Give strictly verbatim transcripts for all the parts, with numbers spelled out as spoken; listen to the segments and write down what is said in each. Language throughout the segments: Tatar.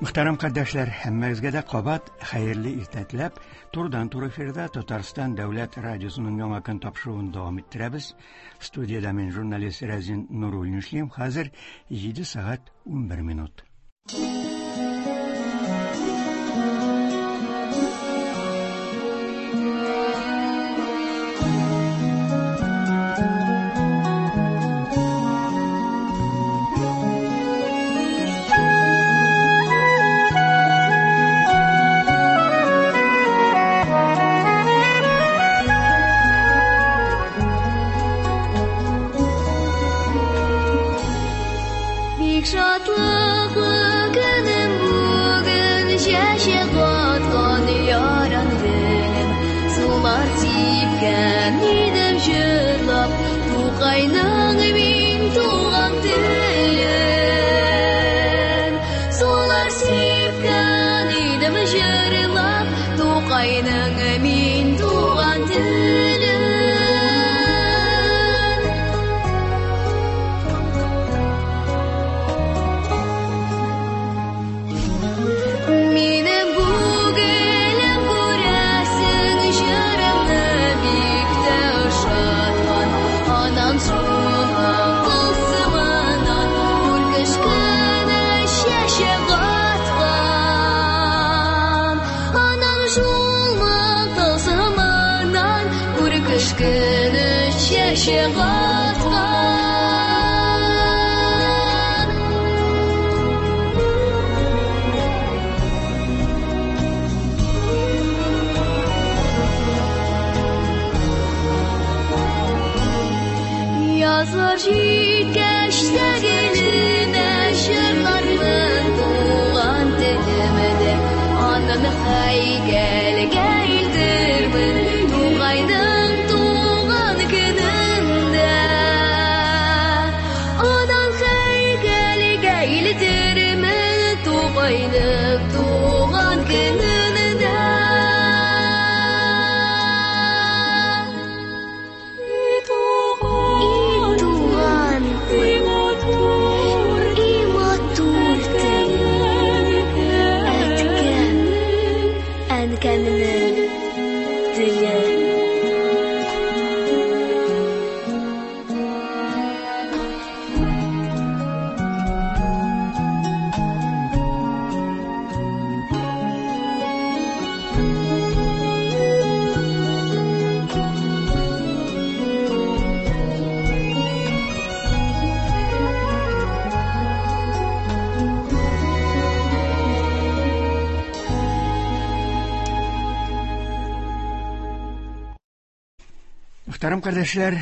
Мөхтәрәм кардәшләр, һәммәгезгә дә кабат хәерле иртә теләп, турыдан-туры эфирда Татарстан дәүләт радиосының яңа көн тапшыруын дәвам иттерәбез. Студиядә мин журналист Рәзин Нуруллин эшлим. Хәзер җиде сәгать унбер минут. Мөхтәрәм кардәшләр,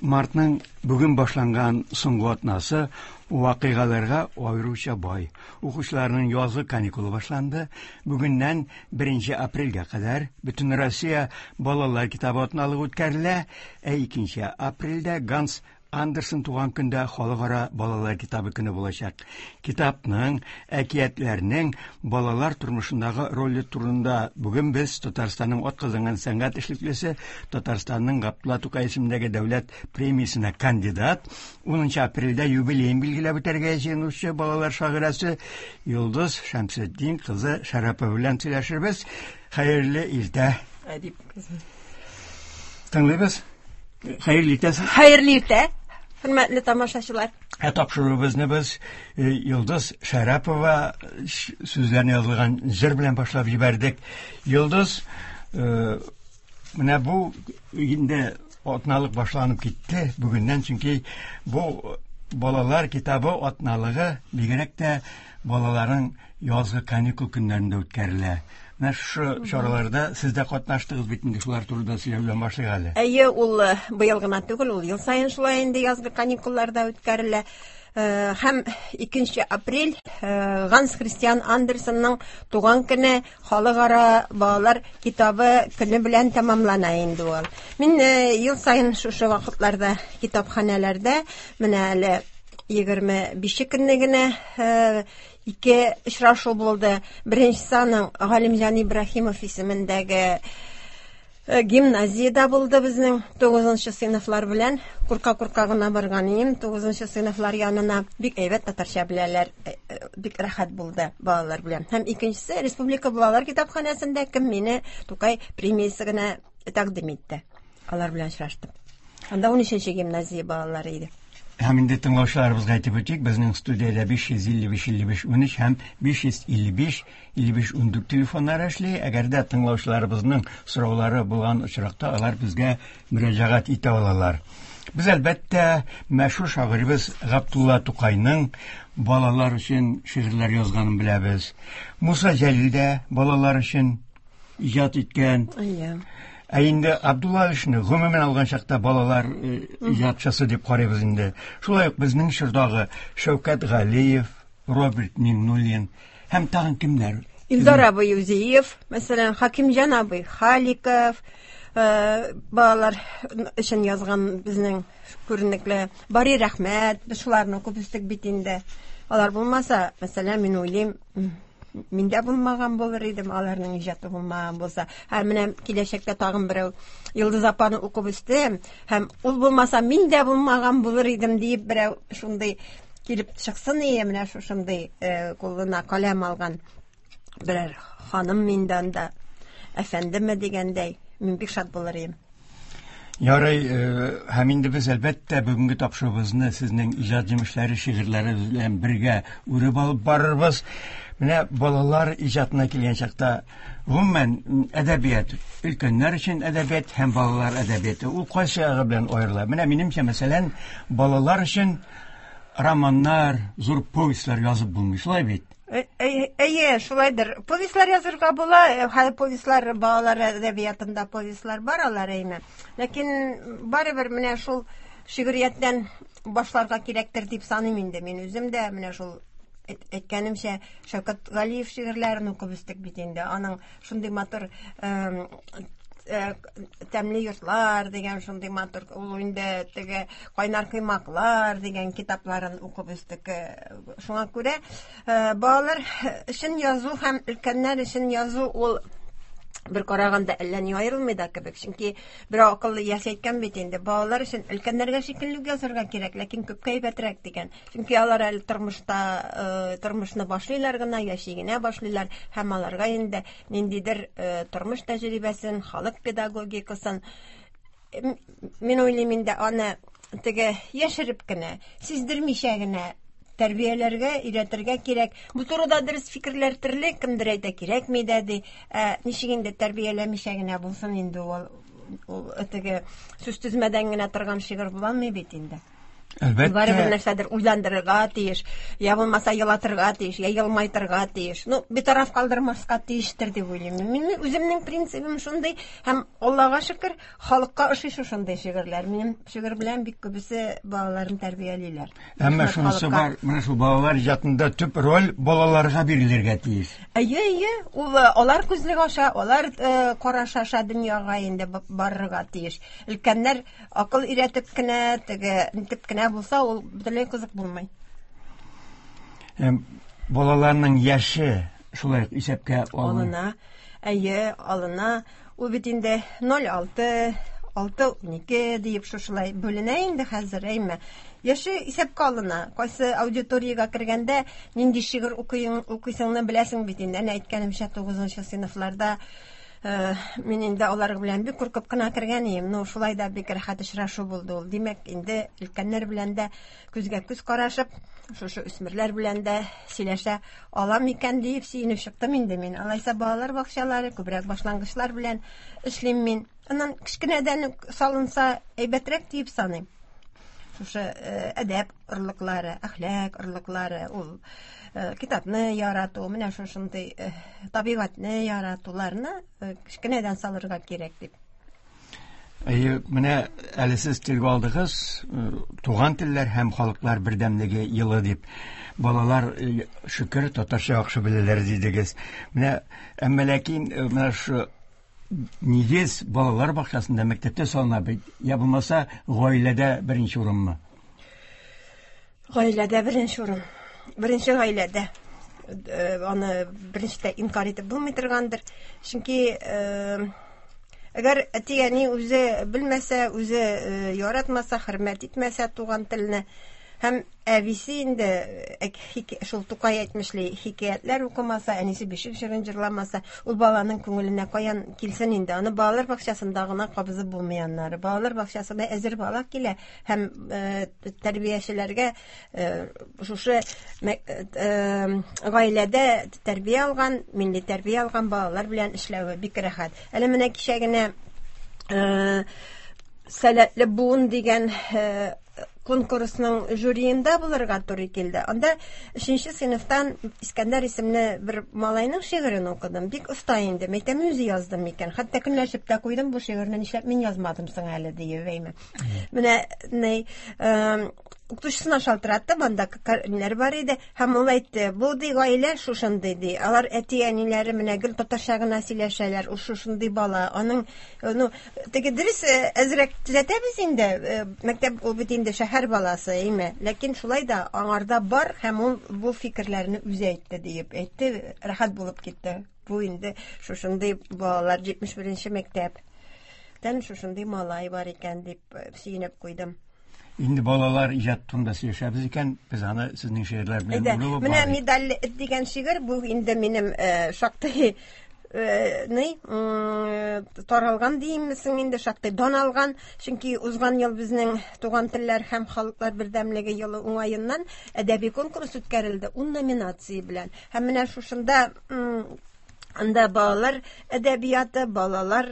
мартның бүген башланган соңгы атнасы вакыйгаларга аеруча бай. Укучыларның язгы каникулы башланды. Бүгеннән беренче апрельгә кадәр Бөтен Россия балалар китабы атналыгы үткәрелә, ә икенче апрельдә Ганс Андерсен туган көндә халыкара балалар китабы көне булачак. Китапның, әкиятләрнең балалар тормышындагы роле турында бүген без Татарстанның атказанган сәнгать эшлеклесе, Татарстанның Габдулла Тукай исемендәге дәүләт премиясенә кандидат, унынчы апрельдә юбилеен билгеләп үтәргә җыенучы балалар шагыйрәсе Йолдыз Шәмсетдин кызы Шәрәпова белән сөйләшербез. Хәерле иртә. Әдип кызым. Тыңлыйбыз. Хәерле иртә. Хәерле иртә. Хөрмәтле тамашачылар. Ә тапшыруыбызны без Йолдыз Шәрәпова сүзләренә язылган җыр белән башлап җибәрдек. Йолдыз, менә бу инде атналык башланып китте бүгеннән, чөнки бу балалар китабы атналыгы бигрәк тә балаларның язгы каникул көннәрендә үткәрелә. Менә шушы чараларда сез дә катнаштыгыз бит инде, шулар турында сөйләү белән башлыйк әле. Әйе, ул быел гына түгел, ул ел саен шулай инде язгы каникулларда үткәрелә. Һәм икенче апрель Ганс Христиан Андерсенның туган көне халыкара балалар китабы көне белән тәмамлана инде ул. Мин ел саен шушы вакытларда китапханәләрдә менә әле егерме бише көнне генә ике очрашу булды. Беренчесе аның Галимҗан Ибраһимов исемендәге Гимназиядә булды безнең тугызынчы сыйныфлар белән. Курка-курка гына барган идем тугызынчы сыйныфлар янына. Бик әйбәт татарча беләләр, бик рәхәт булды балалар белән. Һәм икенчесе Республика балалар китапханәсендә кем мине Тукай премиясе генә тәкъдим итте. Алар белән очраштым. Анда унөченче гимназия балалары иде. Һәм инде тыңлаучыларыбызга әйтеп үтик, безнең студиядә биш йөз илле биш илле биш унөч һәм биш йөз илле биш илле биш ундүрт телефоннары эшли. Әгәр дә тыңлаучыларыбызның сораулары булган очракта, алар безгә мөрәҗәгать итә алалар. Без әлбәттә мәшһүр шагыйребез Габдулла Тукайның балалар өчен шигырьләр язганын беләбез. Муса Җәлил дә балалар өчен иҗат иткән. Әйе. Ә инде Абдулла Алишны гомумән алган чакта балалар иҗатчысы дип карыйбыз инде. Шулай ук безнең чордагы Шәүкәт Галиев, Роберт Миңнуллин һәм тагын кемнәр? Илдар абый Юзиев, мәсәлән, Хакимҗан абый Халиков, балалар өчен язган безнең күренекле Бари Рәхмәт, без шуларны күп үстек бит инде. Алар булмаса, мәсәлән, мин уйлыйм, миндә булмаган булыр идем, аларның иҗаты булмаган булса. Һәм менә киләчәктә тагын берәү Йолдыз апаны укып үстем, һәм ул булмаса мин дә булмаган булыр идем диеп берәү шундый килеп чыксын ие, менә шушындый кулына каләм алган берәр ханым миндә анда әфәндеме дигәндәй, мин бик шат булыр идем. Ярый, һәм инде без әлбәттә бүгенге тапшыруыбызны сезнең иҗат җимешләре, шигырьләре белән бергә үреп алып барырбыз. Менә балалар иҗатына килгән чакта, гомумән әдәбият, өлкәннәр өчен әдәбият һәм балалар әдәбияты, ул кайсы ягы белән аерыла? Менә минемчә, мәсәлән, балалар өчен романнар, зур повестьлар язып булмый, шулай бит? Әйе, шулайдыр. Повестьлар язырга була, хәзер повестьлар, балалар әдәбиятында повестьлар бар алар әйме. Ләкин барыбер менә шул шигърияттән башларга кирәктер дип саныйм инде. Мин үзем дә менә шул әйткәнемчә Шәүкәт Галиев шигырьләрен укып үстек бит инде. Аның шундый матур тәмле йортлар дигән шундый матур, ул инде теге кайнар коймаклар дигән китапларын укып үстек. Шуңа күрә балалар өчен язу һәм өлкәннәр өчен язу ул бер караганда әллә ни аерылмый да кебек. Чөнки бер акыллы яшь әйткән бит инде, балалар өчен өлкәннәргә шикелле үк язарга кирәк, ләкин күпкә әйбәтрәк дигән. Чөнки алар әле тормышта, тормышны башлыйлар гына, яши генә башлыйлар һәм аларга инде ниндидер тормыш тәҗрибәсен, халык педагогикасын, мин уйлыйм инде, аны теге яшереп кенә, сиздермичә генә тәрбияләргә, өйрәтергә кирәк. Бу турыда дөрес фикерләр төрле, кемдер әйтә кирәкми дә ди. Ә ничек инде тәрбияләмичә генә булсын инде ул, ул теге сүз төзмәдән генә торган шигырь була алмый бит инде. Әлбәттә. Барыбер нәрсәдер уйландырырга тиеш, я булмаса елатырга тиеш, я елмайтырга тиеш. Ну, битараф калдырмаска тиештер дип уйлыйм. Мин үземнең принцибым шундый, һәм Аллага шөкер, халыкка ошый шушындый шигырьләр. Минем шигырь белән бик күбесе балаларын тәрбиялиләр. Әмма шунысы бар, менә шул балалар иҗатында төп роль балаларга бирелергә тиеш. Әйе, әйе, ул алар күзлек аша, алар караш аша дөньяга инде барырга тиеш. Өлкәннәр акыл өйрәтеп кенә, теге нитеп кенә булса, ул бөтенләй кызык булмый. Балаларның яше шулай ук исәпкә алына. Әйе, алына. Ул бит инде ноль алты, алты унике диеп шушылай бүленә инде хәзер, әйме. Яше исәпкә алына. Кайсы аудиториягә кергәндә нинди шигырь укыйсыңны беләсең бит инде. Әнә әйткәнемчә, тугызынчы сыйныфларда мин инде алар белән бик куркып кына кергән идем. Ну, шулай да бик рәхәт очрашу булды ул. Димәк, инде өлкәннәр белән дә күзгә күз карашып, шушы үсмерләр белән дә сөйләшә алам икән диеп сөенеп чыктым инде мин. Алайса балалар бакчалары, күбрәк башлангычлар белән эшлим мин. Аннан кечкенәдән үк салынса әйбәтрәк диеп саныйм. Шушы әдәп орлыклары, әхлак орлыклары, ул китапны ярату, менә шушындый табигатьне яратуларны кечкенәдән салырга кирәк дип. Әйе, менә әле сез телгә алдыгыз, туган телләр һәм халыклар бердәмлеге елы дип. Балалар шөкер татарча яхшы беләләр дидегез. Менә әмма ләкин менә шу нигез балалар бакчасында, мәктәптә салына бит, я булмаса гаиләдә беренче урынмы? Гаиләдә беренче урын. Беренче гаиләдә. Аны беренчедә инкар итеп булмый торгандыр. Чөнки Әгәр әти-әни үзе белмәсә, үзе яратмаса, хөрмәт итмәсә туган телне, һәм әбисе инде шул Тукай әйтмешли хикәятләр укымаса, әнисе бишек җырын җырламаса, ул баланың күңеленә каян килсен инде? Аны балалар бакчасында гына кабызып булмый аннары. Балалар бакчасында әзер бала килә һәм тәрбиячеләргә шушы гаиләдә тәрбия алган, милли тәрбия алган балалар белән эшләве бик рәхәт. Әле менә кичә генә Сәләтле буын дигән конкурсның жюриында булырга туры килде. Анда өченче сыйныфтан Искәндәр исемле бер малайның шигырен укыдым. Бик оста инде. Мәйтәм, үзе яздым микән? Хәтта көнләшеп тә куйдым, бу шигырьне нишләп мин язмадым соң әле диеп, әйме. Менә ни, укытучысына шалтыраттым, анда ниләр бар иде, һәм ул әйтте, бу ди гаилә шушындый ди. Алар әти-әниләре менә гел татарча гына сөйләшәләр, ул шушындый бала. Аның, ну, теге дөрес әзрәк төзәтәбез инде, мәктәп ул бит инде шәһәр баласы, әйме. Ләкин шулай да аңарда бар һәм ул бу фикерләрне үзе әйтте диеп әйтте, рәхәт булып китте. Бу инде шушындый балалар җитмеш беренче мәктәптән шушындый малай бар икән дип сөенеп куйдым. Инде балалар иҗат турында сөйләшәбез икән, без аны сезнең шигырьләр белән бүлеп Менә медаль дигән шигырь бу инде минем шактый ни таралган димсең инде, шактый дан алган, чөнки узган ел безнең туган телләр һәм халыклар бердәмлеге елы уңаеннан әдәби конкурс үткәрелде ун номинация белән. Һәм менә шушында анда балалар әдәбияты, балалар,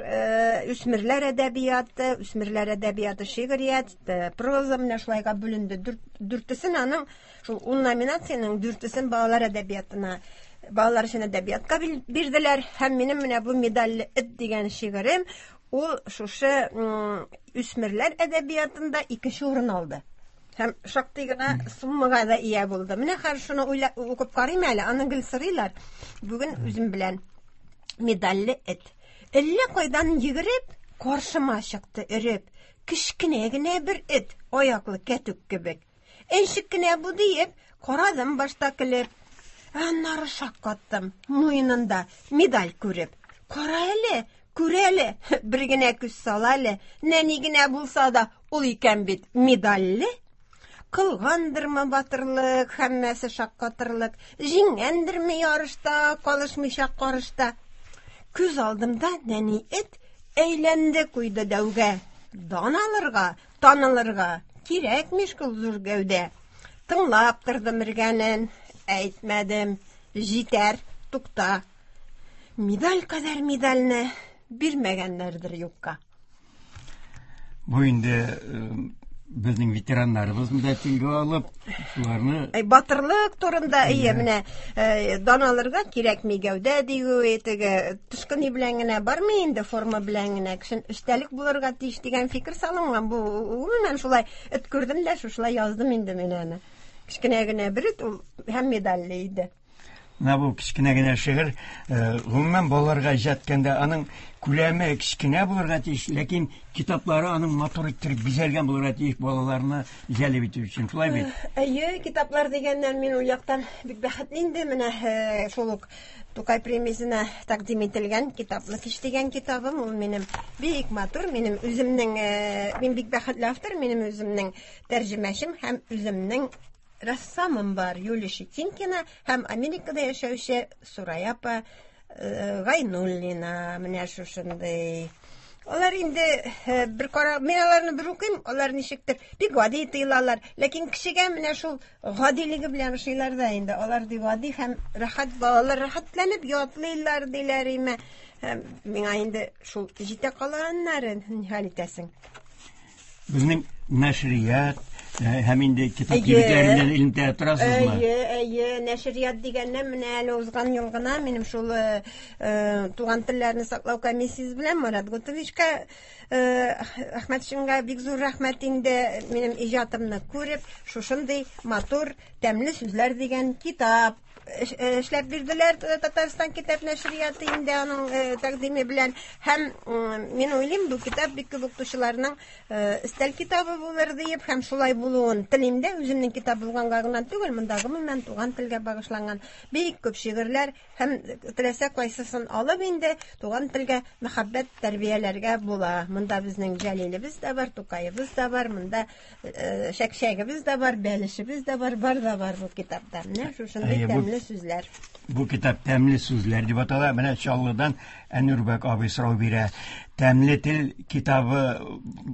үсмерләр әдәбияты, үсмерләр әдәбияты, шигърият, проза менә шулайга бүленде. Дүртесен аның шул ун номинациянең дүртесен балалар әдәбиятына, балалар өчен әдәбиятка бирделәр. Һәм минем менә бу медальле эт дигән шигырем ул шушы үсмерләр әдәбиятында икенче урын алды. Һәм шактый гына суммага да ия булды. Менә хәзер шуны уйлап укып карыйм әле, аны гел сорыйлар. Бүген үзем белән медальле эт. Әллә кайдан йөгереп, каршыма чыкты өреп. Кечкенә генә бер эт, аяклы кәтүк кебек. Әнчек кенә бу диеп, карадым башта көлеп. Аннары шаккаттым, муенында медаль күреп. Кара әле, күр әле, бер генә күз сал әле, нәни генә булса да, ул икән бит медальле. Кылгандырмы батырлык, һәммәсе шаккатырлык, җиңгәндерме ярышта, калышмыйча карышта. Күз алдымда нәни эт әйләнде куйды дәүгә. Дан алырга, танылырга кирәкмиш шул зур гәүдә. Тыңлап тордым өргәнен, әйтмәдем, җитәр, тукта. Медаль кадәр медальне бирмәгәннәрдер юкка. Бу инде безнең ветераннарыбызны да телгә алып, шуларны Әй, батырлык турында, әйе, менә дан алырга кирәкми гәүдә дию, теге тышкы ни белән генә бармый инде, форма белән генә, кешен эштәлек булырга тиеш дигән фикер салынган. Бу гомумән шулай эт күрдем дә, шушылай яздым инде мин аны. Кечкенә генә бер эт, ул һәм медальле иде. Менә бу кечкенә генә шигырь, гомумән балаларга иҗат иткәндә аның күләме кечкенә булырга тиеш, ләкин китаплары аның матур иттереп бизәлгән булырга тиеш балаларны җәлеп итү өчен. Шулай бит? Әйе, китаплар дигәннән мин ул яктан бик бәхетле инде. Менә шул ук Тукай премиясенә тәкъдим ителгән Китаплы кич дигән китабым, ул минем бик матур, минем үземнең, мин бик бәхетле автор, минем үземнең тәрҗемәчем һәм үземнең рәссамым бар, Юлия Щетинкина һәм Америкада яшәүче Сурая апа Гайнуллина, менә шушындый. Алар инде бер кара, мин аларны бер укыйм, алар ничектер бик гади тоелалар, ләкин кешегә менә шул гадилеге белән ошыйлар да инде. Алар ди гади һәм рәхәт, балалар рәхәтләнеп ятлыйлар диләр име. Һәм миңа инде шул җитә кала аннары, ни хәл итәсең? Безнең нәшрият һәм инде китап кибетләреннән элемтә торасызмы? Әйе, әйе, нәшрият дигәннән менә әле узган ел гына минем шул туган телләрне саклау комиссиясе белән Марат Готовичка, Әхмәтшинга бик зур рәхмәт инде, минем иҗатымны күреп, шушындый матур, тәмле сүзләр дигән китап эшләп бирделәр Татарстан китап нәшрияты инде аның тәкъдиме белән. Һәм мин уйлыйм, бу китап бик күп укытучыларның өстәл китабы булыр диеп, һәм шулай булуын телим дә. Үземнең китап булганга гына түгел, монда гомумән туган телгә багышланган бик күп шигырьләр һәм теләсә кайсысын алып инде туган телгә мәхәббәт тәрбияләргә була. Монда безнең Җәлилебез дә бар, Тукаебыз да бар, монда Шәкшәгебез дә бар, бәлешебез дә бар, бар да бар бу китапта. Менә шушындый тәмле сүзләр. Бу китап тәмле сүзләр дип атала. Менә Чаллыдан Әнүрбәк абый сорау бирә. Тәмле тел китабы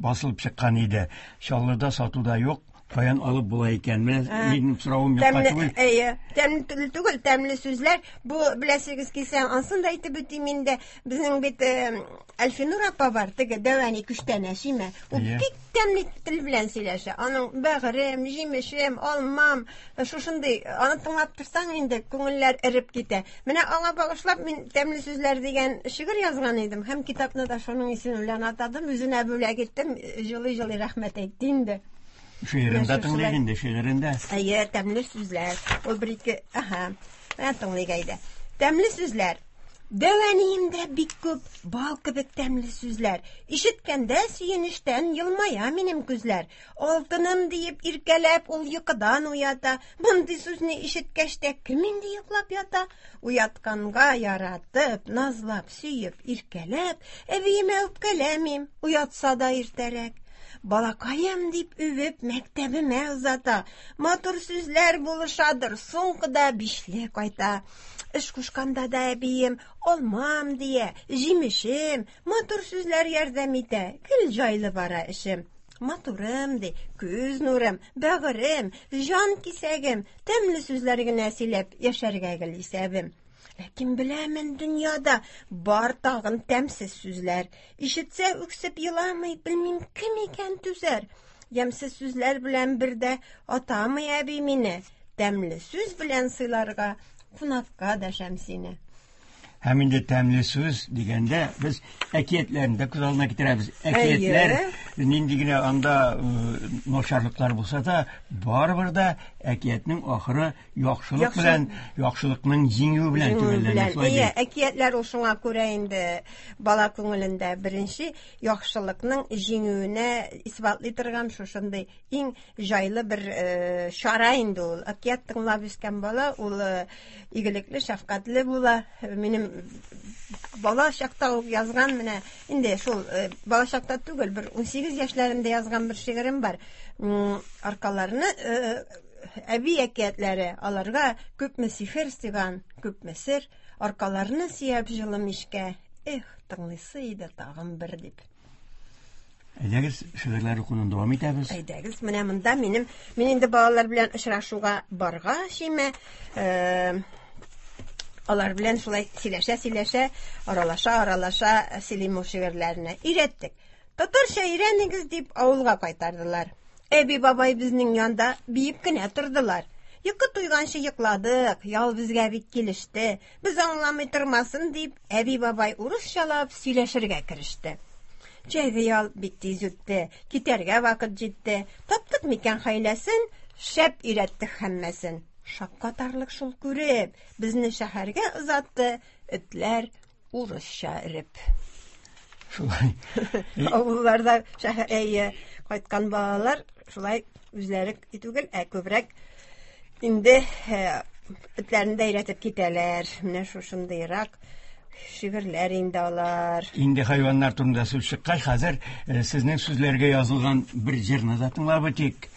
басылып чыккан иде. Чаллыда сатуда юк. Каян алып була икән? Менә минем соравым юкка түгел. Әйе, тәмле тел түгел, тәмле сүзләр. Бу беләсегез килсә, ансын да әйтеп үтим инде. Безнең бит Әлфинур апа бар, теге дәвәни күчтәнәш име? Ул бик тәмле тел белән сөйләшә. Аның бәгырем, җимешем, алмам, шушындый, аны тыңлап торсаң инде күңелләр эреп китә. Менә аңа багышлап мин тәмле сүзләр дигән шигырь язган идем һәм китапны да шуның исеме белән атадым, үзенә бүләк иттем, җылы-җылы рәхмәт әйтте инде. Шигырендә тыңлыйк инде, шигырендә. Әйе, тәмле сүзләр. Ул бер ике, аһа, менә тыңлыйк әйдә. Тәмле сүзләр. Дәвәниемдә бик күп бал кебек тәмле сүзләр. Ишеткәндә сөенештән елмая минем күзләр. Алтыным диеп иркәләп ул йокыдан уята. Мондый сүзне ишеткәч тә кем инде йоклап ята? Уятканга яратып, назлап, сөеп, иркәләп, әбиемә үпкәләмим, уятса да иртәрәк. Балакаем дип үбеп мәктәбемә озата. Матур сүзләр булышадыр, соңгыда бишле кайта. Эш кушканда да әбием алмам дия, җимешем, матур сүзләр ярдәм итә, гел җайлы бара эшем. Матурым ди, күз нурым, бәгырем, җан кисәгем, тәмле сүзләр генә сөйләп яшәргә гел исәбем. Ләкин беләмен дөньяда бар тагын тәмсез сүзләр. Ишетсә үксеп еламый, белмим кем икән түзәр. Ямсыз сүзләр белән бердә атамый әби мине. Тәмле сүз белән сыйларга кунакка дәшәм сине. Һәм инде тәмле сүз дигәндә без әкиятләрне дә күз алдына китерәбез. Әкиятләр нинди генә анда начарлыклар булса да, барыбер дә әкиятнең ахыры яхшылык белән, яхшылыкның җиңүе белән төгәлләнә. Әйе, әкиятләр ул шуңа күрә инде бала күңелендә беренче яхшылыкның җиңүенә исбатлый торган шушындый иң җайлы бер чара инде ул. Әкият тыңлап үскән бала ул игелекле, шәфкатьле була. Минем бала чакта ук язган, менә инде шул бала чакта түгел, бер ун сигез яшьләремдә язган бер шигырем бар. Аркаларны әби әкиятләре, аларга күпме сихер сыйган, күпме сер, аркаларны сөяп җылы мичкә, эх, тыңлыйсы иде тагын бер дип. Әйдәгез, шигырьләр укуны дәвам итәбез. Әйдәгез, менә монда минем, мин инде балалар белән очрашуга баргач, име, алар белән шулай сөйләшә-сөйләшә, аралаша-аралаша сөйлим ул шигырьләрне. Өйрәттек. Татарча өйрәнегез дип авылга кайтардылар. Әби бабай безнең янда биеп кенә тордылар. Йокы туйганчы йокладык, ял безгә бик килеште. Без аңламый тормасын дип, әби бабай урысчалап сөйләшергә кереште. Җәйге ял бик тиз үтте, китәргә вакыт җитте. Таптык микән хәйләсен, шәп өйрәттек һәммәсен. Шаккатарлык шул күреп, безне шәһәргә озатты, этләр урысча өреп. Шулай. Авылларда шәһәр әйе кайткан балалар шулай үзләре түгел, ә күбрәк инде этләрне дә өйрәтеп китәләр. Менә шушындыйрак шигырьләр инде алар. Инде хайваннар турында сүз чыккач, хәзер сезнең сүзләргә язылган бер җырны да тыңлап үтик.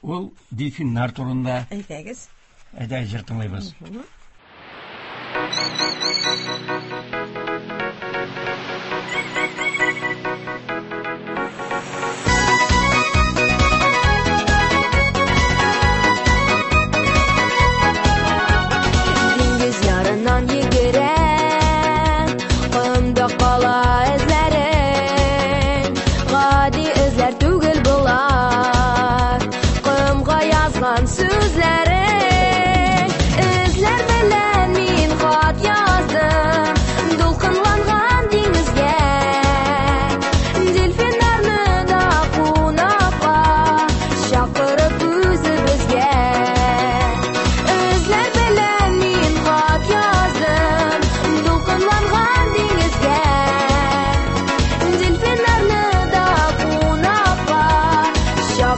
Ул дельфиннар турында. Әйдәгез. Әйдә, җыр тыңлыйбыз. Диңгез ярыннан йөгерә, комда кала эзләрең. Гади эзләр түгел болар, комга язган сүзләрең. Эзләр белән мин хат яздым,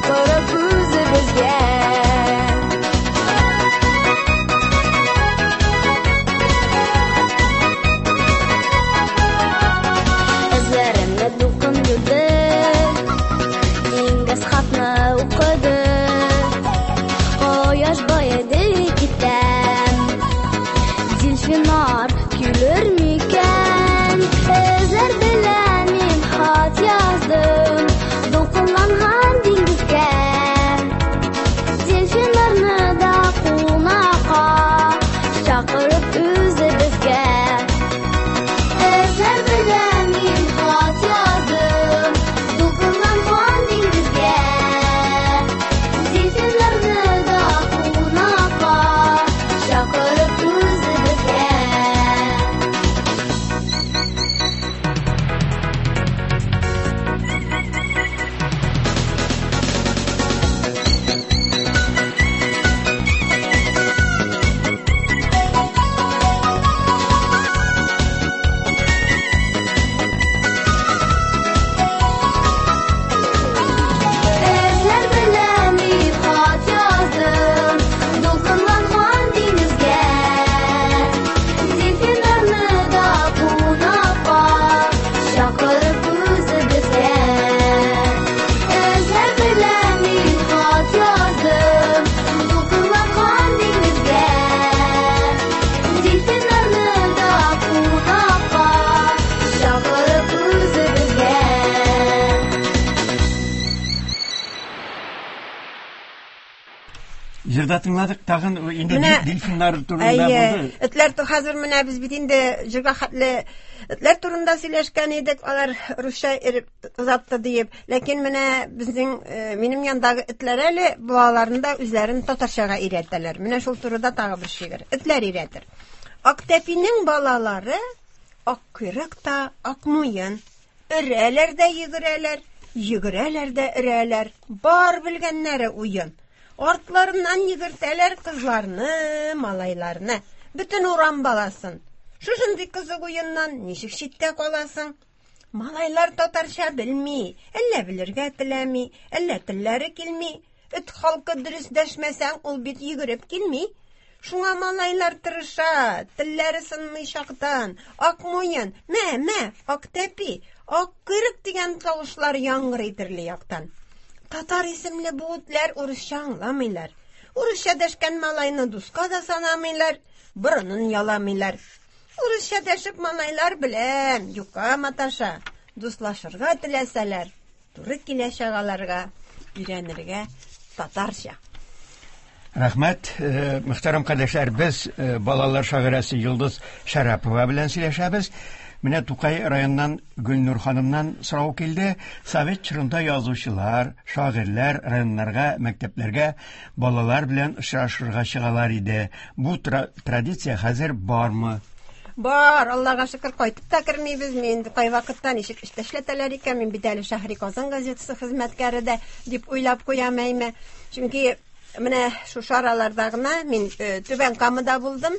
чакырып үзебезгә. Эзләремне дулкын юды, диңгез хатны укыды. Кояш баеды китәм, дельфиннар килер микән? Эзләр белән мин хат яздым дулкынланган диңгезгә. Дельфиннарны да кунакка чакырып үзебезгә. Эзләр белән мин хат яздым дулкынланган диңгезгә. Дельфиннарны да кунакка чакырып үзебезгә. Эзләр белән мин хат яздым дулкынланган диңгезгә. Дельфиннарны да кунакка чакырып үзебезгә. Эзләр белән мин хат яздым дулкынланган диңгезгә. Дельфиннарны да кунакка чакырып үзебезгә. Җырда тыңладык, тагын инде Менә- дельфиннар турында Әйе, булды. этләр ту хәзер менә без бит инде җырга хәтле этләр турында сөйләшкән идек, алар русча иреп озатты диеп. Ләкин менә безнең э, минем яндагы этләр әле балаларын да үзләрен татарчага өйрәтәләр. Менә шул турыда тагы бер шигырь. Этләр өйрәтер. Актәпинең балалары ак койрык та ак муен. Өрәләр дә йөгерәләр, йөгерәләр дә өрәләр. Бар белгәннәре уен. Артларыннан йөгертәләр кызларны, малайларны, бөтен урам баласын. Шушындый кызык уеннан ничек читтә каласың? Малайлар татарча белми, әллә белергә теләми, әллә телләре килми. Эт халкы дөрес дәшмәсәң, ул бит йөгереп килми. Шуңа малайлар тырыша, телләре сынмый чактан. Ак муен, мә, мә, ак тәпи, ак койрык дигән тавышлар яңгырый төрле яктан. Татар исемле бу этләр урысча аңламыйлар. Урысча дәшкән малайны дуска да санамыйлар, борынын яламыйлар. Урысча дәшеп малайлар белән юкка маташа. Дуслашырга теләсәләр, туры килә чагаларга өйрәнергә татарча. Рәхмәт, э, мөхтәрәм кардәшләр, без э, балалар шагыйрәсе Йолдыз Шәрәпова белән сөйләшәбез. Менә Тукай районыннан Гөлнур ханымнан сорау килде. Совет чорында язучылар, шагыйрьләр районнарга, мәктәпләргә балалар белән очрашырга чыгалар иде. Бу тра- традиция хәзер бармы? Бар, Аллага шөкер, кайтып та кермибез. Мин кайвакытта ничек эштә эшләтәләр икән, мин бит әле Шәһри Казан газетасы хезмәткәре дә дип уйлап куям әйме. Чөнки менә шушы араларда гына мин э, Түбән Камада булдым.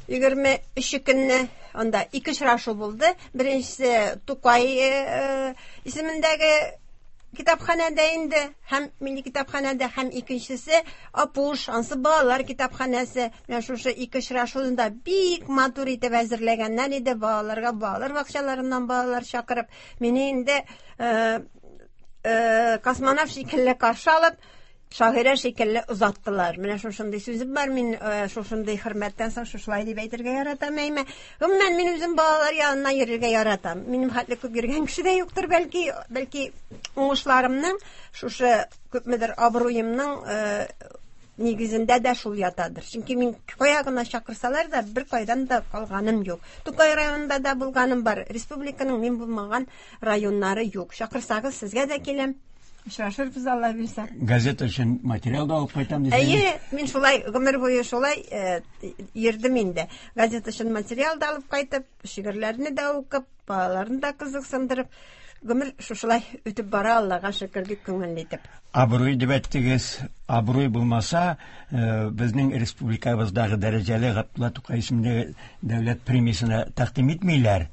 Егерме өче көнне анда ике очрашу булды. Беренчесе Тукай э, исемендәге китапханәдә инде, һәм милли китапханәдә, һәм икенчесе Апуш, ансы балалар китапханәсе. Менә шушы ике очрашуны да бик матур итеп әзерләгәннәр иде балаларга, балалар бакчаларыннан балалар чакырып, мине инде, э, э, космонавт шикелле каршы алып, шагыйрә шикелле озаттылар. Менә шушындый сүзем бар, мин, э, шушындый хөрмәттән соң шушылай дип әйтергә яратам әйме. Гомумән, мин үзем балалар янына йөрергә яратам. Минем хәтле күп йөргән кеше дә юктыр, бәлки, бәлки уңышларымның, шушы күпмедер абруемның, э, нигезендә дә шул ятадыр. Чөнки мин кая гына чакырсалар да, бер кайдан да калганым юк. Тукай районында да булганым бар. Республиканың мин булмаган районнары юк. Чакырсагыз, сезгә дә киләм. Очрашырбыз, Алла бирсә. Газета өчен материал да алып кайтам дисәң. Әйе, мин шулай гомер буе шулай, э, йөрдем инде. Газета өчен материал да алып кайтып, шигырьләрне дә укып, балаларны да кызыксындырып, гомер шушылай үтеп бара, Аллага шөкер, бик күңелле итеп. Абруй дип әйттегез. Абруй булмаса, э, безнең республикабыздагы дәрәҗәле Габдулла Тукай исемле дәүләт премиясенә тәкъдим итмиләр.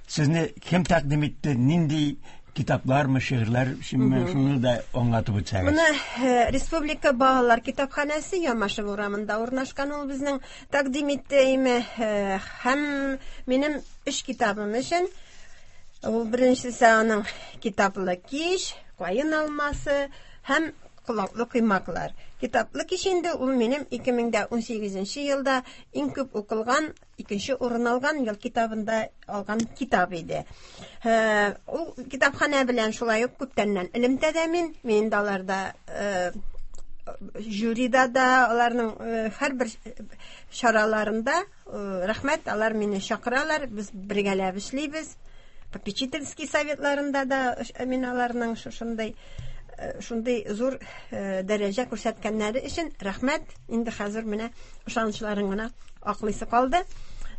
Сезне кем тәкъдим итте? Нинди Китаплармы, шигырьләр өченме, шуны да аңлатып үтсәгез. Моны э, Республика балалар китапханәсе Ямашев урамында урнашкан, ул безнең тәкъдим итте име, э, һәм минем өч китабым өчен. Ул беренчесе аның «Китаплы кич», «Каен алмасы» һәм «Колаклы коймаклар». «Китаплы кич» инде ул минем ике мең дә унсигезенче елда иң күп укылган, икенче урын алган ел китабында алган китап иде. Э, ул китапханә белән шулай ук күптәннән элемтәдә мин. Мин дә аларда, э, жюрида да, аларның, э, һәрбер чараларында, э, рәхмәт, алар мине чакыралар, без бергәләп эшлибез. Попечительский советларында да мин аларның шушындай, э, шундый зур, э, дәрәҗә күрсәткәннәре өчен рәхмәт. Инде хәзер менә ышанычларын гына аклыйсы калды.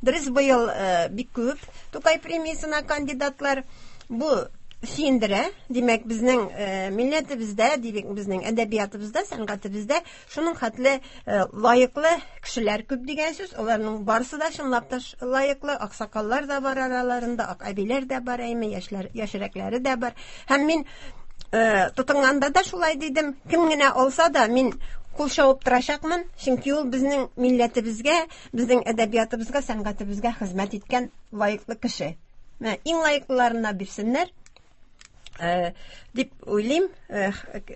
Дөрес, быел, э, бик күп Тукай премиясенә кандидатлар. Бу сөендерә. Димәк, безнең, э, милләтебездә, димәк, безнең әдәбиятыбызда, сәнгатебездә шуның хәтле, э, лаеклы кешеләр күп дигән сүз. Аларның барысы да чынлап та лаеклы. Аксакаллар да бар араларында, ак әбиләр дә бар, әйме, яшьләр, яшьрәкләре дә бар. Һәм мин, э, тотынганда да шулай дидем. Кем генә алса да, мин кул чабып торачакмын, чөнки ул безнең милләтебезгә, безнең әдәбиятыбызга, сәнгатебезгә хезмәт иткән лаеклы кеше. Менә иң лаеклыларына бирсеннәр, э, дип уйлыйм. Э,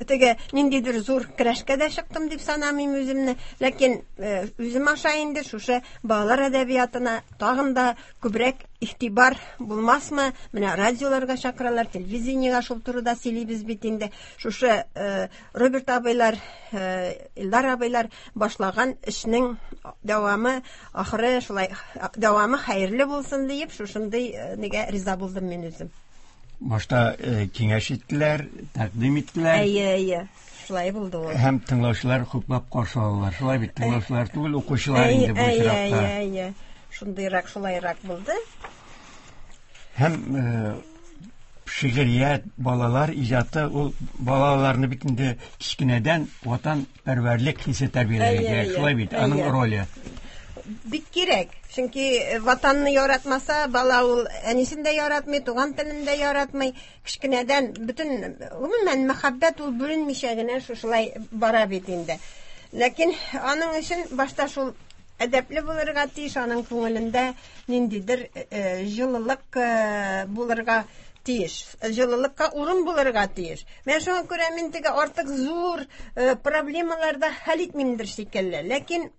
теге ниндидер зур көрәшкә дә чыктым дип санамыйм үземне, ләкин, э, үзем аша инде шушы балалар әдәбиятына тагын да күбрәк игътибар булмасмы? Менә радиоларга чакыралар, телевидениегә шул турыда сөйлибез бит инде. Шушы, э, Роберт абыйлар, э, Илдар абыйлар башлаган эшнең дәвамы, ахыры шулай дәвамы хәерле булсын диеп, шушындый, э, нигә риза булдым мин үзем. Башта, э, киңәш иттеләр, тәкъдим иттеләр. Әйе, әйе. Шулай булды ул. Һәм тыңлаучылар хуплап каршы алалар. Шулай бит, тыңлаучылар түгел, укучылар Әйе, инде бу әйе, очракта. әйе, әйе. Шундыйрак, шулайрак булды. Һәм, э, шигърият, балалар иҗаты, ул балаларны бит инде кечкенәдән ватанпәрвәрлек хисе тәрбияләргә Әйе, кирәк. әйе, Шулай бит, аның әйе. роле. Бик кирәк. Чөнки ватанны яратмаса, бала ул әнисен дә яратмый, туган телен дә яратмый. Кечкенәдән бөтен, гомумән, мәхәббәт ул бүленмичә генә шушылай бара бит инде. Ләкин аның өчен башта шул әдәпле булырга тиеш, аның күңелендә ниндидер, э, җылылык, э, булырга тиеш, җылылыкка урын булырга тиеш. Менә шуңа күрә мин теге артык зур, э, проблемаларда хәл итмимдер шикелле. Ләкин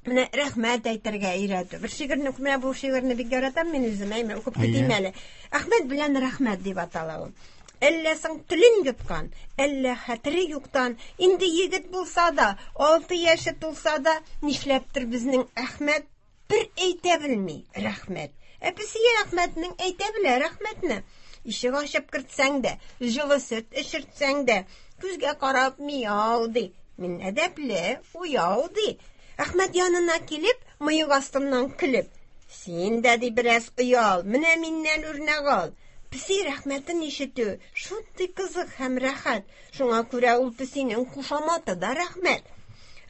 менә рәхмәт әйтергә өйрәтү. Бер шигырьне, менә бу шигырьне бик яратам мин үзем, әйме, укып китим Әйе. әле. Әхмәт белән рәхмәт дип атала ул. Әллә соң телен йоткан, әллә хәтере юктан, инде егет булса да, алты яше тулса да, нишләптер безнең Әхмәт бер әйтә белми рәхмәт. Ә песие Әхмәтнең әйтә белә рәхмәтне. Ишек ачып кертсәң дә, җылы сөт эчертсәң дә, күзгә карап мияу ди. Мин әдәпле, уяу ди. Әхмәт янына килеп, мыек астыннан көлеп, син дә ди бераз оял, менә миннән үрнәк ал. Песи рәхмәтен ишетү шундый кызык һәм рәхәт. Шуңа күрә ул песинең кушаматы да рәхмәт.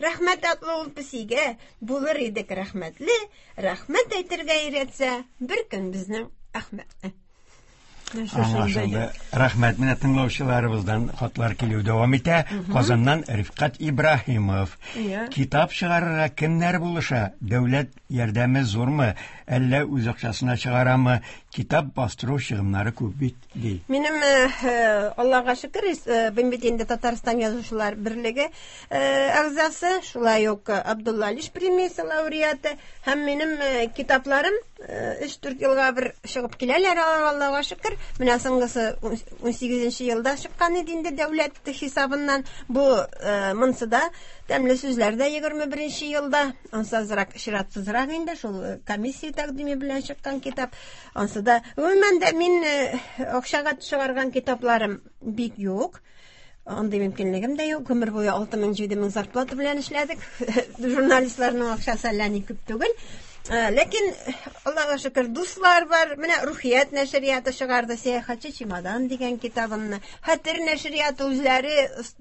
Рәхмәт атлы ул песигә булыр идек рәхмәтле, рәхмәт әйтергә өйрәтсә, бер көн безнең Әхмәтне. Аңлашылды. Рәхмәт. Менә тыңлаучыларыбыздан хатлар килү дәвам итә. Казаннан Рифкать Ибраһимов. Иә. Китап чыгарырга кемнәр булыша? Дәүләт ярдәме зурмы? Әллә үз акчасына чыгарамы? Китап бастыру чыгымнары күп бит, ди. Минем, э, э, Аллага шөкер, э, мин бит инде Татарстан Язучылар берлеге, э, әгъзасы, шулай ук Абдулла Алиш премиясе лауреаты, һәм минем, э, китапларым, э, өч-дүрт елга бер чыгып киләләр, Аллага шөкер. Менә соңгысы ун сигезенче елда чыккан иде инде дәүләт хисабыннан. Бу, э, монсы да тәмле сүзләр дә егерме беренче елда, ансы азрак чиратсызрак инде, шул комиссия тәкъдиме белән чыккан китап. Ансы да, гомумән дә мин, э, акчага чыгарган китапларым бик юк. Андый мөмкинлегем дә юк. Гомер буе алты мең, җиде мең зарплата белән эшләдек. Журналистларның акчасы әллә ни күп түгел. Э, ләкин Аллага шөкер, дуслар бар. Менә Рухият нәшрияты чыгарды Сәяхәтче чемодан дигән китабымны. Хәтер нәшрияты үзләре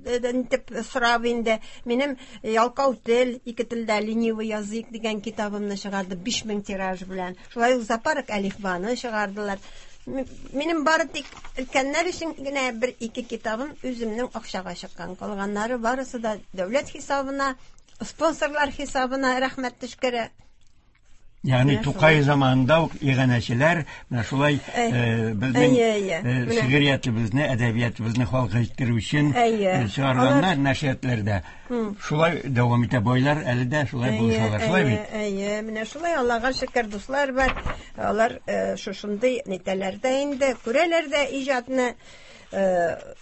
итеп сорап инде. Минем Ялкау тел, ике телдә ленивый язык дигән китабымны чыгарды биш мең тираж белән. Шулай ук Зоопарк әлифбаны чыгардылар. Минем бары тик өлкәннәр өчен генә бер ике китабым үземнең акчага чыккан. Калганнары барысы да дәүләт хисабына, спонсорлар хисабына, рәхмәт төшкере. Ягъни Тукай заманында ук иганәчеләр менә шулай безнең шигъриятебезне, әдәбиятыбызны халыкка җиткерү өчен чыгарганнар нәшриятләрдә. Шулай дәвам итә байлар, әле дә шулай булышалар, шулай бит? Әйе, менә шулай, Аллага шөкер, дуслар бар. Алар шушындый нитәләр дә инде, күрәләр дә иҗатны,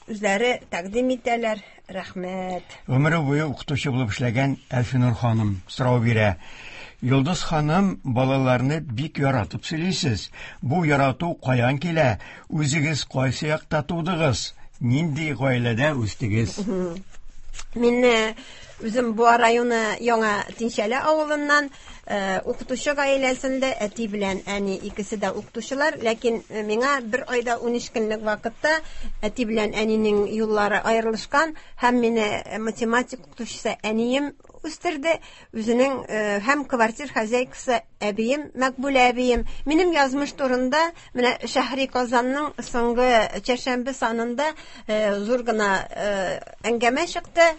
үзләре тәкъдим итәләр. Рәхмәт. Гомере буе укытучы булып эшләгән Әлфинур ханым сорау бирә. Йолдыз ханым, балаларны бик яратып сөйлисез. Бу ярату каян килә? Үзегез кайсы якта тудыгыз? Нинди гаиләдә үстегез? Мин үзем Буа районы Яңа Тинчәле авылыннан, укытучы гаиләсендә, әти белән әни икесе дә укытучылар, ләкин миңа бер айда ун өч көнлек вакытта әти белән әнинең юллары аерылышкан һәм мине математик укытучысы әнием үстерде, үзенең һәм квартир хозяйкасы әбием, Мәкбүлә әбием. Минем язмыш турында менә Шәһри Казанның соңгы чәршәмбе санында зур гына әңгәмә чыкты,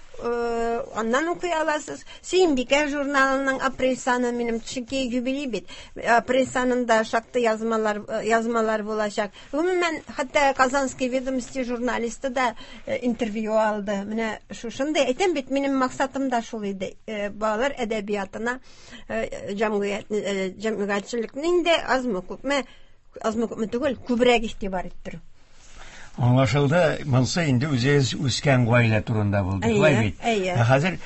аннан укый аласыз. Сөембикә журналының апрель саны минем, чөнки юбилей бит. Апрель санында шактый язмалар, язмалар булачак. Гомумән, хәтта Казанский ведомости журналисты да интервью алды. Менә шушындый әйтәм бит, минем максатым да шул иде. Балалар әдәбиятына җәмгыять, җәмгыятьчелекнең инде азмы күпме, азмы күпме түгел, күбрәк игътибар иттерү. Аңлашылды, монсы инде үзегез үскән гаилә турында булды, шулай бит? Әйе. Ә хәзер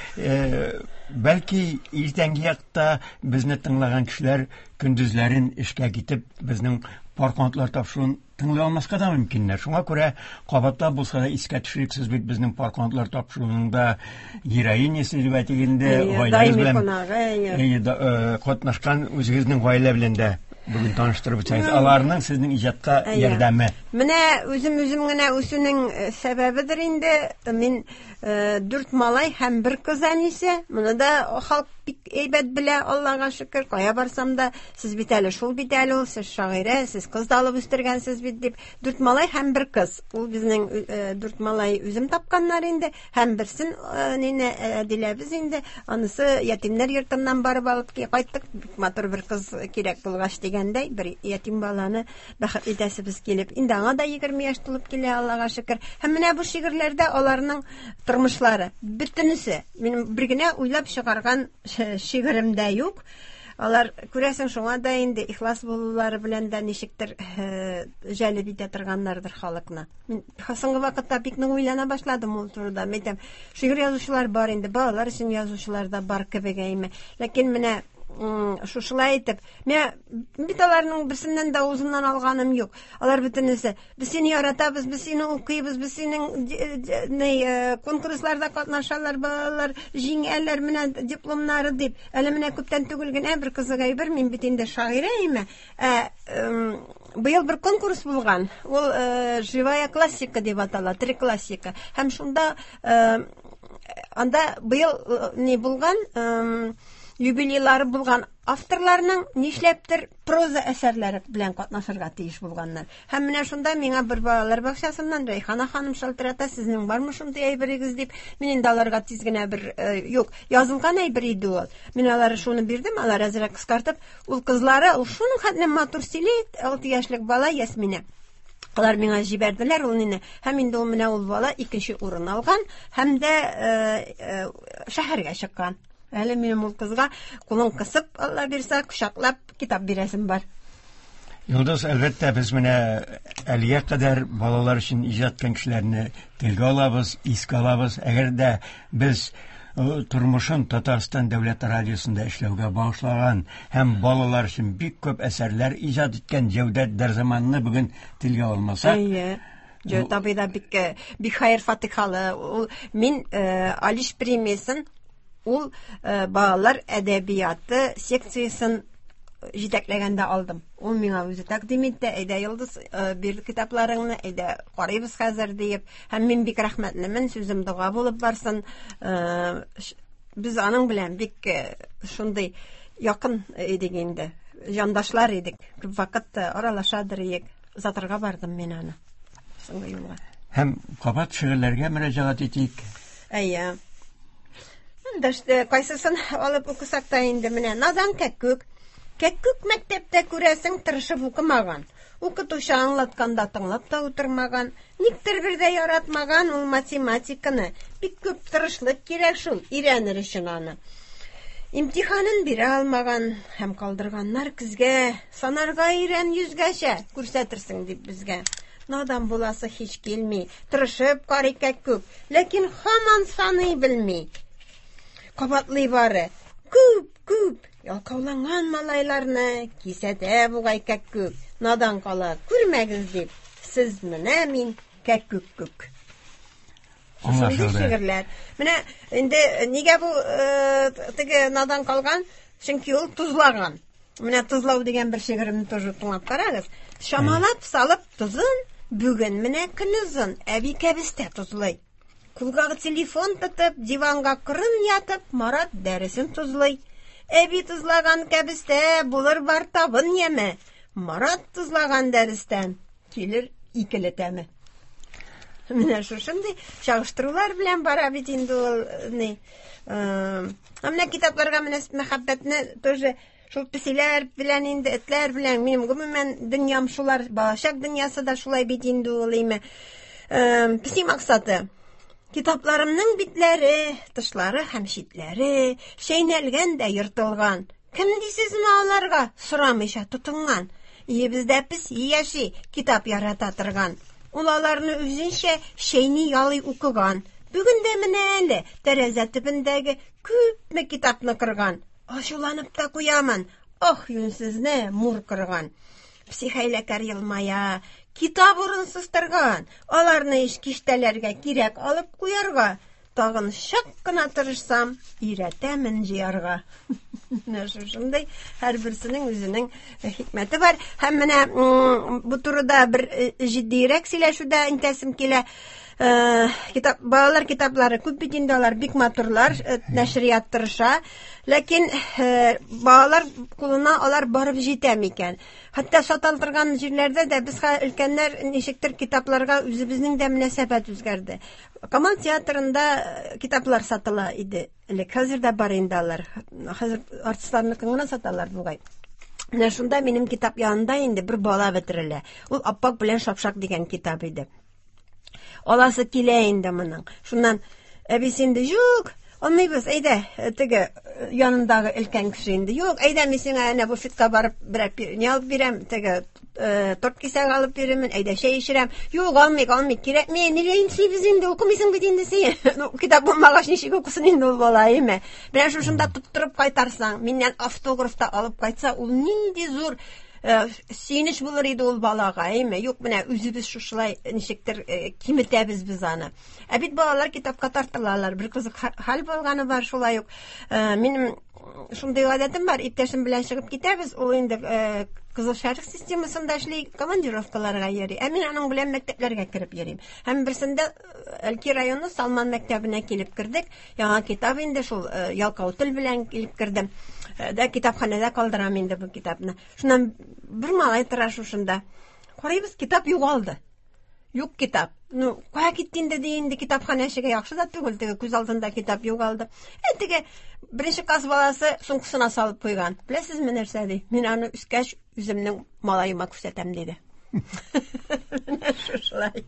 бәлки иртәнге якта безне тыңлаган кешеләр көндезләрен эшкә китеп безнең пар канатлар тапшыруын тыңлый алмаска да мөмкиннәр. Шуңа күрә кабатлап булса да искә төшерик, сез бит безнең пар канатлар тапшыруының да героинясы дип әйтик инде, гаиләгез белән катнашкан үзегезнең гаилә белән дә бүген таныштырып үтсәгез, аларның сезнең иҗатка ярдәме. Менә үзем үзем генә үсүнең сәбәбедер инде. Мин дүрт малай һәм бер кыз әнисе. Моны да халык бик әйбәт белә, Аллага шөкер. Кая барсам да, сез бит әле шул бит әле ул, сез шагыйрә, сез кыз да алып үстергәнсез бит дип. Дүрт малай һәм бер кыз. Ул безнең дүрт малай үзем тапканнар инде. Һәм берсен нине Әдиләбез инде. Анысы ятимнәр йортыннан барып алып кайттык. Бик матур бер кыз кирәк булгач дигәндәй, бер ятим баланы бәхетле итәсебез килеп. Инде аңа да егерме яшь тулып килә, Аллага шөкер. Һәм менә бу шигырьләрдә аларның тормышлары бөтенесе. Минем бер генә уйлап чыгарган шигырем дә юк. Алар, күрәсең, шуңа да инде ихлас булулары белән дә ничектер җәлеп итә торганнардыр халыкны. Мин соңгы вакытта бик нык уйлана башладым ул турыда. Мин әйтәм, шигырь язучылар бар инде, балалар өчен язучылар да бар кебек әйме. Ләкин менә шушылай итеп, мен бит аларның берсеннән дә авызыннан алганым юк. Алар бөтенесе, без сине яратабыз, без сине укыйбыз, без синең конкурсларда катнашалар, балалар җиңәләр, менә дипломнары дип. Әле менә күптән түгел генә бер кызык әйбер, мин бит инде шагыйрә име. Ә быел бер конкурс булган. Ул живая классика дип атала, тере классика. Һәм шунда анда быел ни булган, юбилейлары булган авторларның нишләптер проза әсәрләре белән катнашырга тиеш булганнар. Һәм менә шунда миңа бер балалар бакчасыннан Рәйхана ханым шалтырата, сезнең бармы шундый әйберегез дип. Мин инде аларга тиз генә бер юк, язылган әйбер иде ул. Мин аларга шуны бирдем, алар әзрәк кыскартып, ул кызлары, ул шуның хәтле матур сөйли, алты яшьлек бала Ясминә. Алар миңа җибәрделәр ул нине. Һәм инде ул менә ул бала икенче урын алган һәм дә шәһәргә чыккан. Әле минем ул кызга кулын кысып, Алла бирсә, кочаклап китап бирәсем бар. Йолдыз, әлбәттә, без менә әлегә кадәр балалар өчен иҗат иткән кешеләрне телгә алабыз, искә алабыз. Әгәр дә без тормышын Татарстан дәүләт радиосында эшләүгә багышлаган һәм балалар өчен бик күп әсәрләр иҗат иткән Җәүдәт Дәрзаманны бүген телгә алмасак, Әйе. Җәүдәт абый да бик, бик хәер фатихалы. Ул мин Алиш премиясен ул балалар әдәбияты секциясен җитәкләгәндә алдым. Ул миңа үзе тәкъдим итте, әйдә Йолдыз, бир китапларыңны, әйдә карыйбыз хәзер диеп. Һәм мин бик рәхмәтлемен, сүзем дога булып барсын. Без аның белән бик шундый якын идек инде, җандашлар идек. Күп вакыт аралашадыр идек. Озатырга бардым мин аны. Соңгы юлга. Һәм кабат шигырьләргә мөрәҗәгать итик. Әйе. Эндәште, кайсысын алып укысак та инде менә надан кәккүк. Кәккүк мәктәптә күрәсең тырышып укымаган. Укытучы аңлатканда тыңлап та утырмаган. Никтер бер дә яратмаган ул математиканы. Бик күп тырышлык кирәк шул өйрәнер өчен аны. Имтиханын бирә алмаган һәм калдырганнар көзгә. Санарга өйрән йөзгәчә күрсәтерсең дип безгә. Надан буласы һич килми. Тырышып карый кәккүк, ләкин һаман саный белми. Кабатлый бары. Күп, күп ялкауланган малайларны кисәтә бугай кәккүк. Надан кала күрмәгез дип, сез менә мин кәккүк күк. Шундый Аңлашылды. шигырьләр. Менә инде нигә бу, э, теге надан калган? Чөнки ул тозлаган. Менә тозлау дигән бер шигыремне тоже тыңлап карагыз. Шамалап салып тозын, бүген менә көнозын әби кәбестә тозлый. Кулга телефон тотып, диванга кырын ятып, Марат дәресен тозлый. Әби тозлаган кәбестә булыр бар табын яме. Марат тозлаган дәрестән килер икеле тәме. Менә шушындый чагыштырулар белән бара бит инде ул, ни. Э, менә китапларга менә мәхәббәтне тоже шул песиләр белән инде, этләр белән, минем гомумән дөньям шулар, балачак дөньясы да шулай бит инде ул име. Э, песи максаты. Китапларымның битләре, тышлары һәм читләре чәйнәлгән дә ертылган. Кем дисезме аларга сорамыйча тотынган? Өебездә песи яши, китап ярата торган. Ул аларны үзенчә чәйни ялый укыган. Бүген дә менә әле тәрәзә төбендәге күпме китапны кырган. Ачуланып та куямын. Ох, юнсезне мур кырган. Песи хәйләкәр елмая, китап урынсыз торган. Аларны иш киштәләргә кирәк алып куярга. Тагын чак кына тырышсам, өйрәтәмен җыярга. Менә шушындый һәрберсенең үзенең хикмәте бар. Һәм менә, м, бу турыда бер, э, җитдиерәк сөйләшүдә интәсем килә. Э, китап, балалар китаплары күп бит инде, алар бик матурлар, э, нәшрият тырыша. Ләкин, э, балалар кулына алар барып җитә микән? Хәтта сатал торган җирләрдә дә без хә-, өлкәннәр ничектер китапларга үзебезнең дә мөнәсәбәт үзгәрде. Камал театрында, э, китаплар сатыла иде элек. Хәзер дә бар инде алар. Хәзер артистларныкын гына саталар бугай. Менә шунда минем китап янында инде бер бала бетерелә. Ул Аппак белән Шапшак дигән китап иде. Аласы килә инде моның. Шуннан әбисе инде юк, алмыйбыз, әйдә, теге янындагы өлкән кеше инде. Юк, әйдә, мин сиңа әнә буфетка барып берәр пи-, ни алып бирәм, теге, э, торт кисәге алып бирәмен, әйдә чәй эчерәм. Юк, алмыйк, алмыйк, кирәкми, нигә инсибез инде, укымыйсың бит инде син. Ну, китап булмагач ничек укысын инде ул бала, әйме? Менә шушында тоттырып кайтарсаң, миннән автограф та алып кайтса, ул нинди зур, э, сөенеч булыр иде ул балага, әйме? Юк, менә үзебез шушылай ничектер, э, киметәбез без аны. Ә бит балалар китапка тартылалар. Бер кызык ха-, хәл булганы бар шулай ук. Э, минем шундый гадәтем бар, иптәшем белән чыгып китәбез, ул инде, э, Кызыл Шәрык системасында эшли, командировкаларга йөри. Ә мин аның белән мәктәпләргә кереп йөрим. Һәм берсендә, э, Әлки районы Салман мәктәбенә килеп кердек. Яңа китап инде шул, э, ялкау тел белән килеп кердем. Э, дә китапханәдә калдырам инде бу китапны. Шуннан бер малай тора шушында. Карыйбыз, китап югалды. Юк китап. Ну, кая китте инде ди инде китапханәчегә, яхшы да түгел, теге күз алдында китап югалды. Ә теге беренче класс баласы сумкасына салып куйган. Беләсезме нәрсә ди? Мин аны үскәч үземнең малаема күрсәтәм диде. Менә шушылай.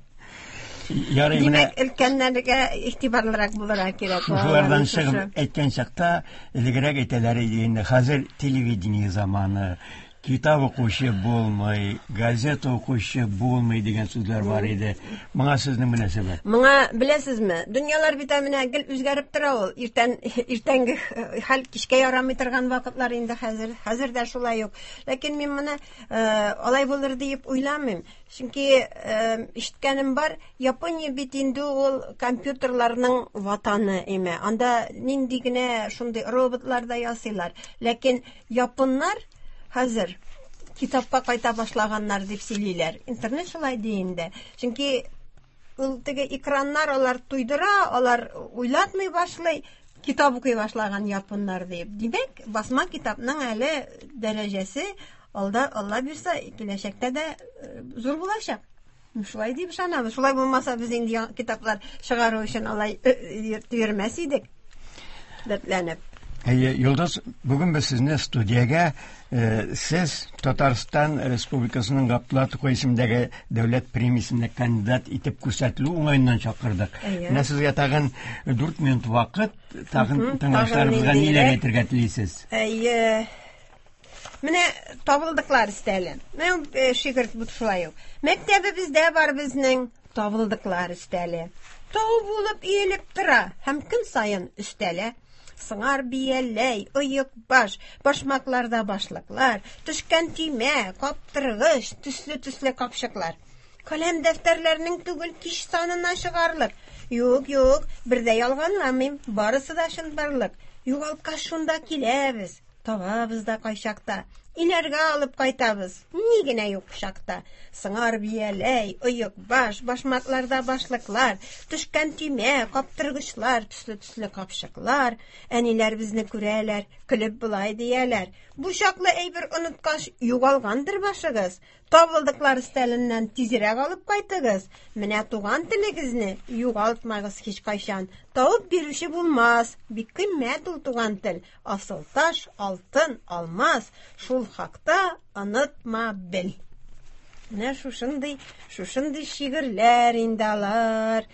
Ярый, менә Димәк, өлкәннәргә игътибарлырак булырга кирәк. Шушылардан Балаларның чыгып шушы. әйткән чакта, элегрәк әйтәләр иде инде, хәзер телевидение заманы, китап укучы булмый, газета укучы булмый дигән сүзләр бар иде. Моңа сезнең мөнәсәбәт? Моңа беләсезме? Дөньялар бит менә гел үзгәреп тора ул. Иртән, иртәнге хәл кичкә ярамый торган вакытлар инде хәзер. Хәзер дә шулай ук. Ләкин мин моны, э, алай булыр дип уйламыйм. Чөнки, э, ишеткәнем бар, Япония бит инде ул компьютерларның ватаны име. Анда нинди генә шундый роботлар да ясыйлар. Ләкин японнар хәзер китапка кайта башлаганнар дип сөйлиләр. Интернет шулай ди инде. Чөнки ул теге экраннар алар туйдыра, алар уйлатмый башлый, китап укый башлаган японнар дип. Димәк, басма китапның әле дәрәҗәсе Алда, Алла бирсә, киләчәктә дә зур булачак. Шулай дип ышанабыз. Шулай булмаса, без инде китаплар чыгару өчен алай йөрмәс идек. Дәртләнеп. Әйе, Йолдыз, бүген без сезне студиягә сез Татарстан Республикасының Габдулла Тукай исемендәге дәүләт премиясенә кандидат итеп күрсәтелү уңаеннан чакырдык. Менә сезгә тагын дүрт минут вакыт, тагын тыңлаучыларыбызга ниләр әйтергә телисез? Әйе. Менә табылдыклар өстәле. Менә шигырь бу шулай ук. Мәктәбебездә бар безнең табылдыклар өстәле. Тау булып иелеп тора һәм көн саен өстәлә. Сыңар бияләй, оек баш, башмакларда башлыклар, төшкән төймә, каптыргыч, төсле-төсле капчыклар. Каләм дәфтәрләрнең түгел кич санына чыгарлык. Юк, юк, бер дә ялганламыйм, барысы да чынбарлык. Югалткач шунда киләбез, табабыз да кайчакта. Иләргә алып кайтабыз, ни генә юк чакта. Сыңар бияләй, оек баш, башмакларда башлыклар, төшкән төймә, каптыргычлар, төсле-төсле капчыклар. Әниләр безне күрәләр, көлеп болай дияләр. Бу чаклы әйбер оныткач, югалгандыр башыгыз. Табылдыклар өстәленнән тизрәк алып кайтыгыз. Менә туган телегезне югалтмагыз һич кайчан. Табып бирүче булмас, бик кыйммәт ул туган тел. Асыл таш, алтын, алмаз, шул хакта онытма бел. Менә шушындый, шушындый шигырьләр инде алар.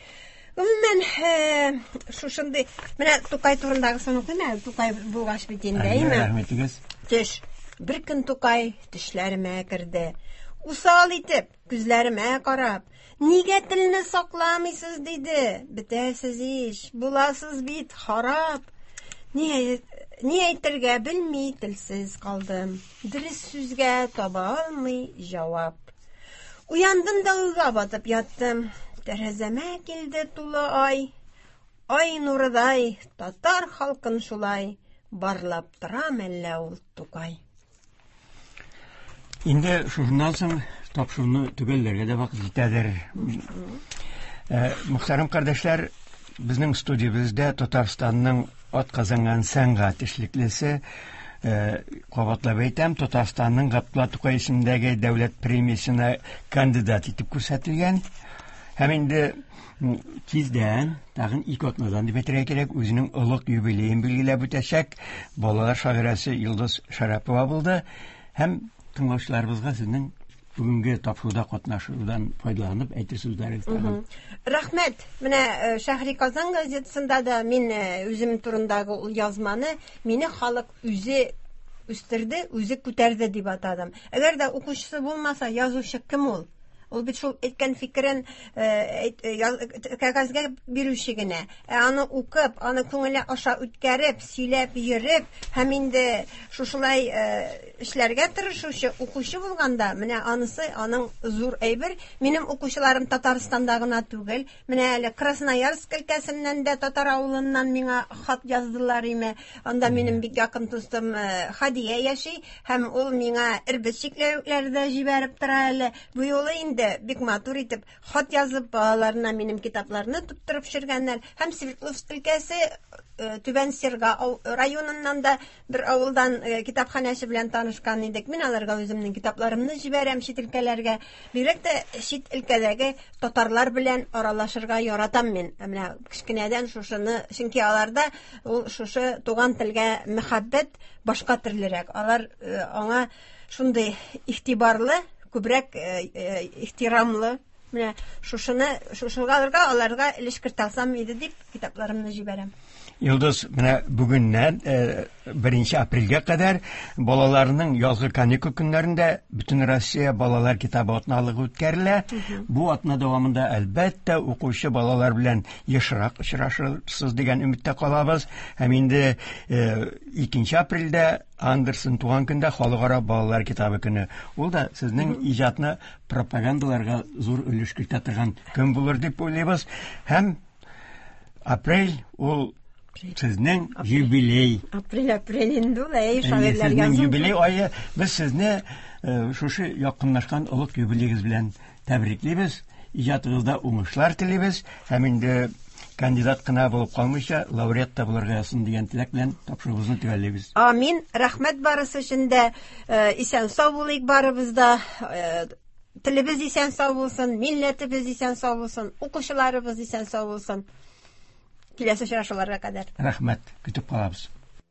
Гомумән, шушындый, менә Тукай турындагысын укыйм әле, Тукай булгач бит инде, әйме? Рәхмәтегез. Төш. Бер көн Тукай төшләремә керде. Усал итеп, күзләремә карап, нигә телне сакламыйсыз, диде. Бетәсез ич, буласыз бит харап. Ни, ни әйтергә белми, телсез калдым. Дөрес сүзгә таба алмый җавап. Уяндым да уйга батып яттым. Тәрәзәмә килде тулы ай. Ай нурыдай татар халкын шулай барлап тора мәллә ул Тукай. Инде шуннан соң тапшыруны төгәлләргә дә вакыт җитәдер. Мөхтәрәм кардәшләр, безнең студиябездә Татарстанның атказанган сәнгать эшлеклесе, кабатлап әйтәм, Татарстанның Габдулла Тукай исемендәге дәүләт премиясенә кандидат итеп күрсәтелгән. Һәм инде тиздән, тагын ике атнадан дип әйтергә кирәк, үзенең олуг юбилеен билгеләп үтәчәк балалар шагыйрәсе Йолдыз Шәрәпова булды. Һәм тыңлаучыларыбызга сезнең бүгенге тапшыруда катнашудан файдаланып әйтер сүзләрегез тагын. Рәхмәт. Менә Шәһри Казан газетасында да мин үзем турындагы ул язманы мине халык үзе үстерде, үзе күтәрде дип атадым. Әгәр дә укучысы булмаса, язучы кем ул? Ул бит шул әйткән фикерен кәгазьгә бирүче генә. Ә аны укып, аны күңеле аша үткәреп, сөйләп йөреп һәм инде шушылай эшләргә тырышучы укучы булганда, менә анысы аның зур әйбер. Минем укучыларым Татарстанда гына түгел, менә әле Красноярск өлкәсеннән дә татар авылыннан миңа хат яздылар име. Анда минем бик якын дустым Хадия яши һәм ул миңа эрбет чикләвекләре дә җибәреп тора әле. Бу юлы инде бик матур итеп хат язып балаларына минем китапларны тоттырып төшергәннәр. Һәм Свердловск өлкәсе Түбән Серга районыннан да бер авылдан китапханәче белән танышкан идек. Мин аларга үземнең китапларымны җибәрәм чит өлкәләргә. Бигрәк тә чит өлкәдәге татарлар белән аралашырга яратам мин. Менә кечкенәдән шушыны, чөнки аларда ул шушы туган телгә мәхәббәт башка төрлерәк. Алар аңа шундый игътибарлы, күбрәк ихтирамлы. Менә шушыны, шушыга аларга өлеш кертә алсам иде дип китапларымны җибәрәм. Йолдыз, менә бүгеннән беренче апрельгә кадәр балаларның язгы каникул көннәрендә Бөтен Россия балалар китабы атналыгы үткәрелә. Бу атна дәвамында әлбәттә укучы балалар белән ешрак очрашырсыз дигән өметтә калабыз. Һәм инде икенче апрельдә Андерсен туган көндә халыкара балалар китабы көне. Ул да сезнең иҗатны пропагандаларга зур өлеш кертә торган көн булыр дип уйлыйбыз. Һәм апрель ул сезнең юбилей. Апрель, апрель инде ул, әй, шагыйрьләр язу. Сезнең юбилей ае. Без сезне шушы якынлашкан олуг юбилеегез белән тәбриклибез. Иҗатыгызда уңышлар телибез. Һәм инде Кандидат кына булып калмыйча, лауреат та булырга язсын дигән теләк белән тапшыруыбызны төгәллибез. Амин. Рәхмәт барысы өчен дә. Э, исән сау булыйк барыбыз да. Э, телебез исән сау булсын, милләтебез исән сау булсын, укучыларыбыз исән сау булсын. Киләсе очрашуларга кадәр. Рәхмәт, көтеп калабыз.